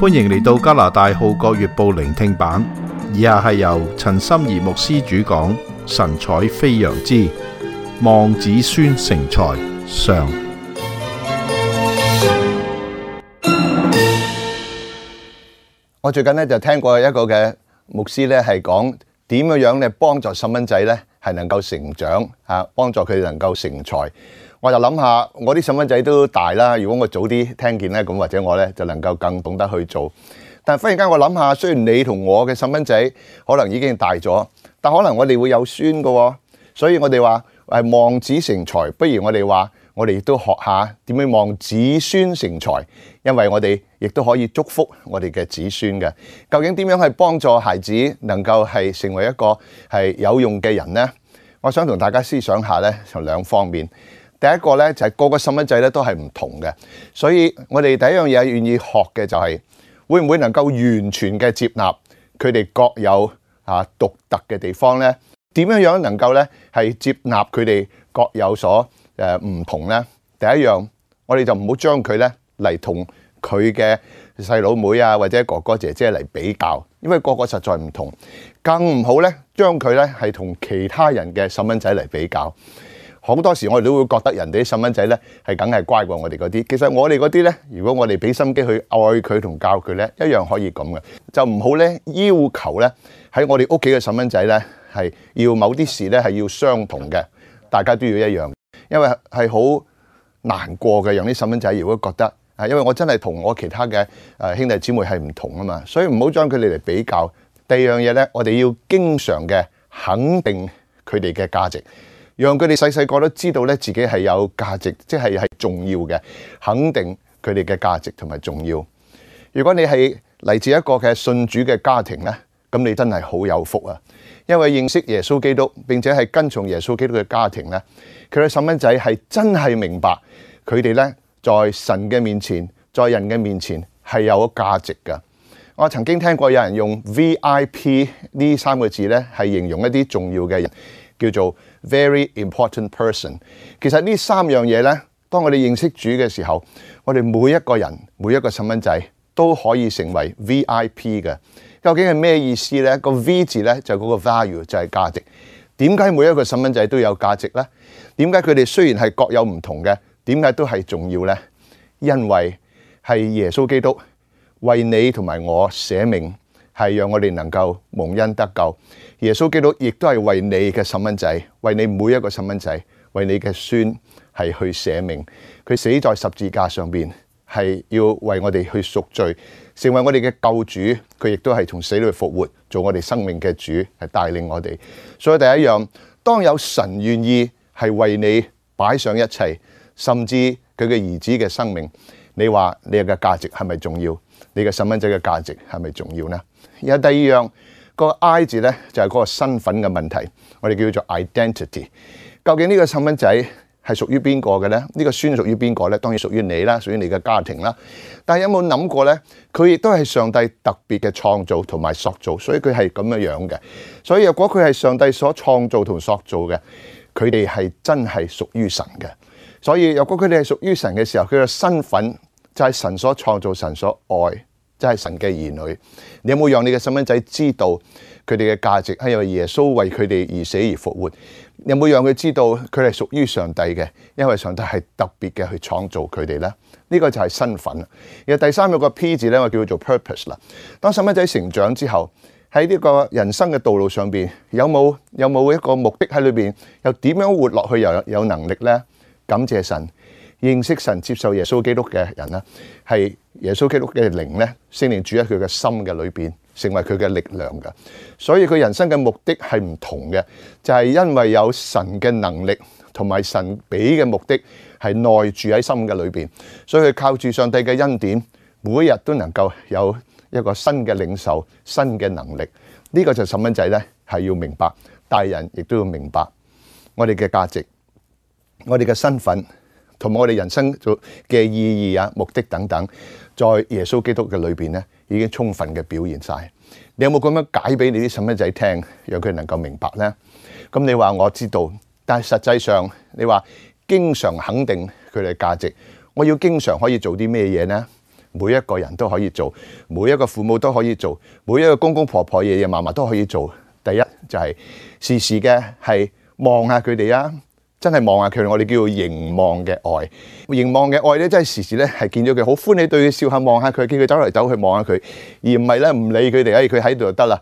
歡迎嚟到加拿大《號角月報》聆聽版，以下係由陳心怡牧師主講，神采飛揚之望子孫成才上。我最近就聽過一個嘅牧師咧，係講點樣咧幫助細蚊仔咧係能夠成長啊，幫助佢哋能夠成才。我就諗下，我啲細蚊仔都大啦，如果我早啲聽見咧，咁或者我咧就能夠更懂得去做。但忽然間我諗下，雖然你同我嘅細蚊仔可能已經大咗，但可能我哋會有孫㗎，所以我哋話望子成才，不如我哋話我哋亦都學下點樣望子孫成才，因為我哋亦都可以祝福我哋嘅子孫嘅。究竟點樣去幫助孩子能夠係成為一個係有用嘅人呢？我想同大家思想下咧，就兩方面。第一個咧就係個個細蚊仔咧都係唔同嘅，所以我哋第一樣嘢願意學嘅就係會唔會能夠完全嘅接納佢哋各有獨特嘅地方咧？點樣能夠咧係接納佢哋各有所唔同咧？第一樣，我哋就唔好將佢咧嚟同佢嘅細佬妹啊或者哥哥姐姐嚟比較，因為個個實在唔同。更唔好咧將佢咧係同其他人嘅細蚊仔嚟比較。好多時我哋都會覺得人哋啲細蚊仔咧係梗係乖過我哋嗰啲，其實我哋嗰啲咧，如果我哋俾心機去愛佢同教佢咧，一樣可以咁嘅。就唔好咧要求咧喺我哋屋企嘅細蚊仔咧係要某啲事咧係要相同嘅，大家都要一樣，因為係好難過嘅。讓啲細蚊仔如果覺得因為我真係同我其他嘅兄弟姊妹係唔同啊嘛，所以唔好將佢哋嚟比較。第二樣嘢咧，我哋要經常嘅肯定佢哋嘅價值。讓佢哋細細個都知道咧自己係有價值，即係重要嘅，肯定佢哋嘅價值同埋重要。如果你係嚟自一個嘅信主嘅家庭咧，咁你真係好有福啊！因為認識耶穌基督並且係跟從耶穌基督嘅家庭咧，佢嘅細蚊仔係真係明白佢哋咧在神嘅面前，在人嘅面前係有價值㗎。我曾經聽過有人用 VIP 呢三個字咧係形容一啲重要嘅人，叫做 very important person。其實呢三樣嘢呢，當我哋認識主嘅時候，我哋每一個人每一個細蚊仔都可以成為 VIP 嘅。究竟係咩意思呢？個 V 字呢，就嗰個 value 就係價值。點解每一個細蚊仔都有價值呢？點解佢哋雖然係各有唔同嘅，點解都係重要呢？因為係耶穌基督為你同埋我捨命，係讓我哋能夠蒙恩得救。耶穌基督亦都係為你嘅細蚊仔，為你每一個細蚊仔，為你嘅孫係去捨命。佢死在十字架上邊，係要為我哋去贖罪，成為我哋嘅救主。佢亦都係從死裏復活，做我哋生命嘅主，係帶領我哋。所以第一樣，當有神願意係為你擺上一切，甚至佢嘅兒子嘅生命，你話你嘅價值係咪重要？你嘅細蚊仔嘅價值係咪重要呢？有第二樣，個 I 字咧就係嗰個身份嘅問題，我哋叫做 identity。究竟呢個細蚊仔係屬於邊個嘅咧？呢個孫屬於邊個咧？當然屬於你啦，屬於你嘅家庭啦。但係有冇諗過咧？佢亦都係上帝特別嘅創造同埋塑造，所以佢係咁樣嘅。所以如果佢係上帝所創造同塑造嘅，佢哋係真係屬於神嘅。所以如果佢哋係屬於神嘅時候，佢嘅身份就係神所創造、神所愛，即係神嘅兒女。你有冇讓你嘅細蚊仔知道佢哋嘅價值係因為耶穌為佢哋而死而復活？你有冇讓佢知道佢係屬於上帝嘅？因為上帝係特別嘅去創造佢哋呢？呢個就係身份。而第三個 P 字咧，我叫做 purpose 啦。當細蚊仔成長之後，喺呢個人生嘅道路上邊，有冇一個目的喺裏邊？又點樣活落去又有能力呢？感謝神。認識神、接受耶穌基督嘅人咧，係耶穌基督嘅靈咧，聖靈住喺佢嘅心嘅裏邊，成為佢嘅力量嘅。所以佢人生嘅目的係唔同嘅，就係因為有神嘅能力同埋神俾嘅目的係內住喺心嘅裏邊，所以佢靠住上帝嘅恩典，每一日都能夠有一個新嘅領受、新嘅能力。呢個就細蚊仔咧係要明白，大人亦都要明白我哋嘅價值、我哋嘅身份。同埋我哋人生嘅意義啊、目的等等，在耶穌基督嘅裏邊咧，已經充分嘅表現晒。你有冇咁樣解俾你啲細蚊仔聽，讓佢能夠明白呢？咁你話我知道，但係實際上你話經常肯定佢哋嘅價值，我要經常可以做啲咩嘢呢？每一個人都可以做，每一個父母都可以做，每一個公公婆婆、爺爺嫲嫲都可以做。第一就係時時嘅係望下佢哋啊，真係望下佢哋，我哋叫做凝望嘅愛。凝望嘅愛咧，真係時時咧係見咗佢好歡喜，對佢笑下，望下佢，見佢走嚟走去望下佢，而唔係咧唔理佢哋，佢喺度就得啦。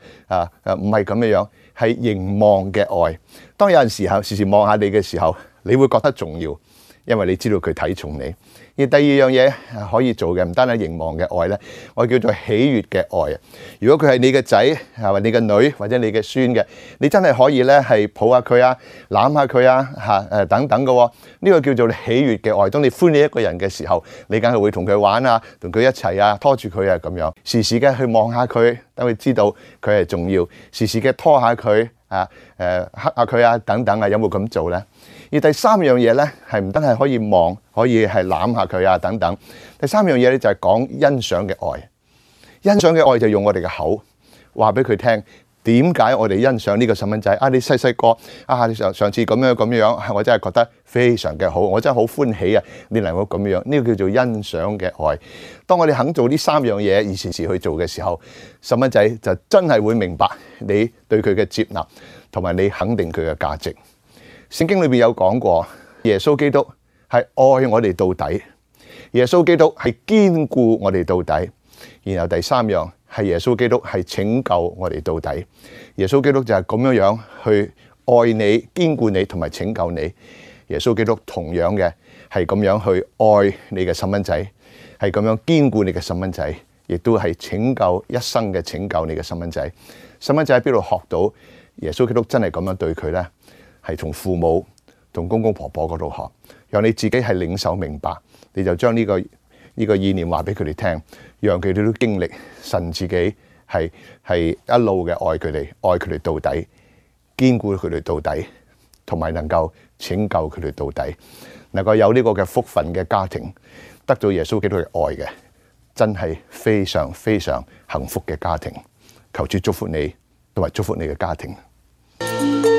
唔係咁樣樣，係凝望嘅愛。當有陣時候時時望下你嘅時候，你會覺得重要，因為你知道佢睇重你。而第二樣嘢可以做嘅，唔單係凝望嘅愛咧，我叫做喜悅嘅愛。如果佢係你嘅仔，或者你嘅女，或者你嘅孫嘅，你真係可以咧係抱下佢啊，攬下佢啊，等等嘅。呢個叫做喜悅嘅愛。當你歡喜一個人嘅時候，你梗係會同佢玩啊，同佢一齊啊，拖住佢啊咁樣，時時嘅去望下佢，等佢知道佢係重要，時時嘅拖下佢啊，黑下佢啊，等等啊，有冇咁做咧？而第三樣嘢咧，係唔單係可以望，可以係攬下佢啊等等。第三樣嘢咧就係講欣賞嘅愛。欣賞嘅愛就用我哋嘅口話俾佢聽，點解我哋欣賞呢個細蚊仔啊？你細細個啊，你上次咁樣，我真係覺得非常嘅好，我真係好歡喜啊！你能夠咁樣，呢個叫做欣賞嘅愛。當我哋肯做呢三樣嘢，而時時去做嘅時候，細蚊仔就真係會明白你對佢嘅接納，同埋你肯定佢嘅價值。聖經裏邊有講過，耶穌基督係愛我哋到底，耶穌基督係堅固我哋到底。然後第三樣係耶穌基督係拯救我哋到底。耶穌基督就係咁樣樣去愛你、堅固你同埋拯救你。耶穌基督同樣嘅係咁樣去愛你嘅細蚊仔，係咁樣堅固你嘅細蚊仔，亦都係拯救一生嘅拯救你嘅細蚊仔。細蚊仔喺邊度學到耶穌基督真係咁樣對佢呢？係從父母同公公婆婆嗰度學，讓你自己係領受明白，你就將呢個意念話俾佢哋聽，讓佢哋都經歷神自己係一路嘅愛佢哋，愛佢哋到底，堅固佢哋到底，同埋能夠拯救佢哋到底，能夠有呢個嘅福分嘅家庭，得到耶穌基督嘅愛嘅，真係非常非常幸福嘅家庭。求主祝福你，同埋祝福你嘅家庭。